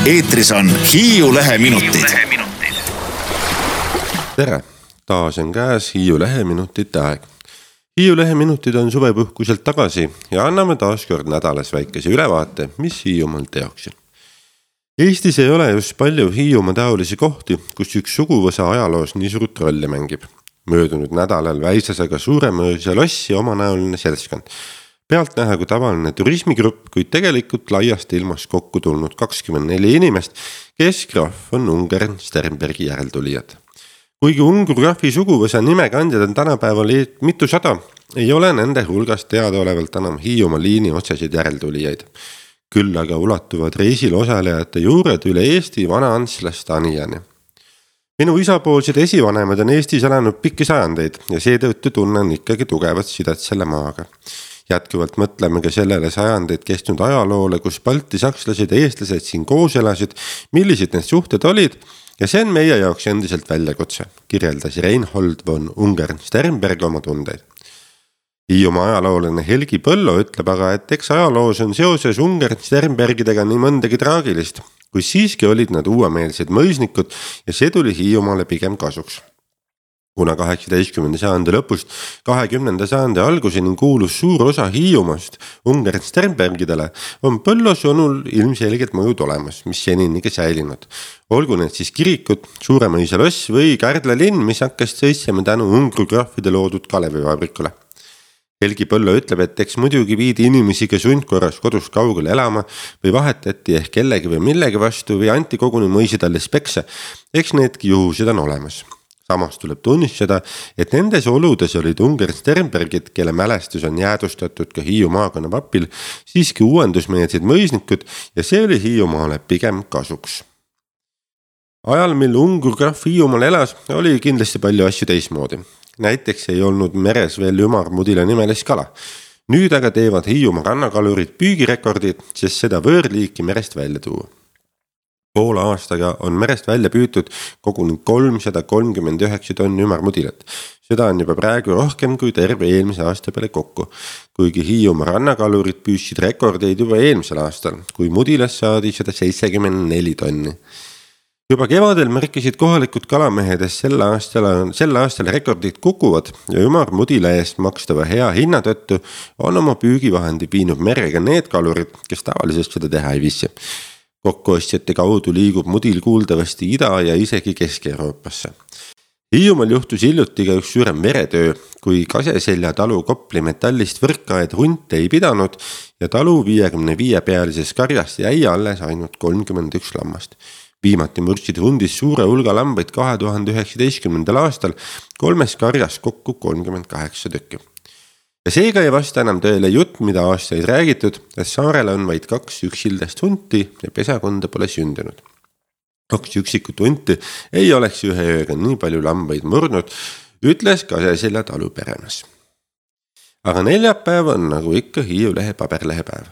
Eetris on Hiiu Leheminutid. Tere! Taas on käes Hiiu Leheminutite aeg. Hiiu Leheminutid on suvepuhkuselt tagasi ja anname taas kord nädalas väikese ülevaate, mis Hiiumaal teoksin. Eestis ei ole just palju Hiiumaa taolisi kohti, kus üks suguvõsa ajaloos nii suurt rolli mängib. Möödunud nädalal Väisasega Suuremõisa lossi omanäoline seltskond. Pealtnäha kui tavaline turismigrupp, kuid tegelikult laiast ilmast kokku tulnud 24 inimest, kes graaf on Ungern Sternbergi järeltulijad. Kuigi Ungurgraafi suguvõsa nimekandjad on tänapäeval mitusada, ei ole nende hulgas teadaolevalt enam Hiiumaa liini otsesid järeltulijaid. Küll aga ulatuvad reisil osalejate juured üle Eesti Vana-Antslast Anijani. Minu isapoolsed esivanemad on Eestis elanud pikki sajandeid ja seetõttu tunnen ikkagi tugevat sidet selle maaga. Jätkuvalt mõtleme ka sellele sajandeid kestnud ajaloole, kus balti sakslased ja eestlased siin koos elasid, millised need suhted olid ja see on meie jaoks endiselt väljakutse, kirjeldas Reinhold von Ungern Sternberg oma tundeid. Hiiumaa ajaloolane Helgi Põllo ütleb aga, et eks ajaloos on seoses Ungern Sternbergidega nii mõndagi traagilist, kui siiski olid nad uuemeelsed mõisnikud ja see tuli Hiiumaale pigem kasuks. Kuna 18. sajandi lõpust 20. sajandi alguseni kuulus suur osa Hiiumaast Ungern Sternbergidele, on Põllo sõnul ilmselgelt mõjud olemas, mis senini säilinud. Olgu need siis kirikud, Suuremõisa loss või Kärdla linn, mis hakkas sõitsema tänu Ungurgraafide loodud Kalevivabrikule. Helgi Põllo ütleb, et eks muidugi viidi inimesi ka sundkorras kodust kaugele elama või vahetati ehk kellegi või millegi vastu või anti koguni mõisidallis pekse. Eks needki juhused on olemas. Samas tuleb tunnistada, et nendes oludes olid Ungern Sternbergid, kelle mälestus on jäädustatud ka Hiiu maakonna papil, siiski uuendusmeelsed mõisnikud ja see oli Hiiumaale pigem kasuks. Ajal, mil Ungurgraaf Hiiumaal elas, oli kindlasti palju asju teismoodi. Näiteks ei olnud meres veel ümarmudila nimelist kala. Nüüd aga teevad Hiiumaa rannakalurid püügirekordid, sest seda võõrliiki merest välja tuua. Poole aastaga on merest välja püütud koguni 339 tonni ümarmudilat. Seda on juba praegu rohkem kui terve eelmise aasta peale kokku, kuigi Hiiumaa rannakalurid püüdsid rekordeid juba eelmisel aastal, kui mudilas saadi 174 tonni. Juba kevadel märkisid kohalikud kalamehed, et sel aastal rekordid kukuvad ja ümarmudila eest makstava hea hinna tõttu on oma püügivahendi viinud merega need kalurid, kes tavaliselt seda teha ei viisi. Kokkuostjate kaudu liigub mudil kuuldavasti Ida- ja isegi Kesk-Euroopasse. Hiiumaal juhtus hiljuti ka üks suurem veretöö, kui Kaseselja talu Kopli metallist võrkaed hunte ei pidanud ja talu 55-pealises karjast jäi alles ainult 31 lammast. Viimati murdsid hundis suure hulga lambaid 2019. aastal 3 karjas kokku 38 tükki. Ja seega ei vasta enam tõele jutt, mida aastaid räägitud, et saarel on vaid 2 üksildast hunti ja pesakonda pole sündinud. 2 üksikut hunti ei oleks ühe ööga nii palju lambaid murdnud, ütles Kaseselja talu peremees. Aga neljapäev on nagu ikka Hiiu Lehe paberlehepäev.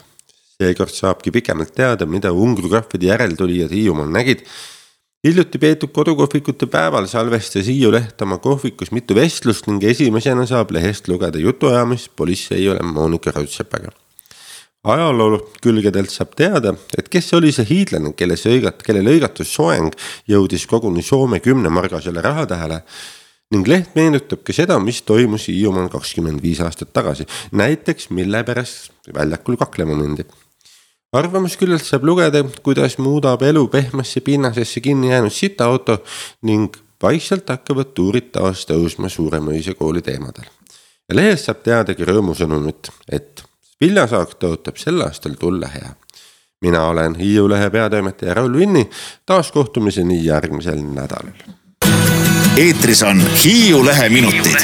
Seekord saabki pikemalt teada, mida Ungurgraafide järeltulijad Hiiumaal nägid. Hiljuti peetud kodukohvikute päeval salvestas Hiiu Leht oma kohvikus mitu vestlust ning esimesena saab lehest lugeda jutuajamist politseiole Monika Raudsepaga. Ajaloolu külgedelt saab teada, et kes oli see hiidlane, kelle lõigatus soeng jõudis koguni Soome 10 margasele rahatähele ning leht meenutab ka seda, mis toimus Hiiumaal 25 aastat tagasi, näiteks mille pärast väljakul kaklema mindi. Arvamusküljelt saab lugeda, kuidas muudab elu pehmesse pinnasesse kinni jäänud sitaauto ning vaikselt hakkavad tuurid taas tõusma Suuremõisa kooli teemadel. Ja lehest saab teadagi rõõmusõnumit, et viljasaak tõotab sel aastal tulla hea. Mina olen Hiiu Lehe peatoimetaja Raul Vinni, taas kohtumiseni järgmisel nädalal. Eetris on Hiiu Leheminutid.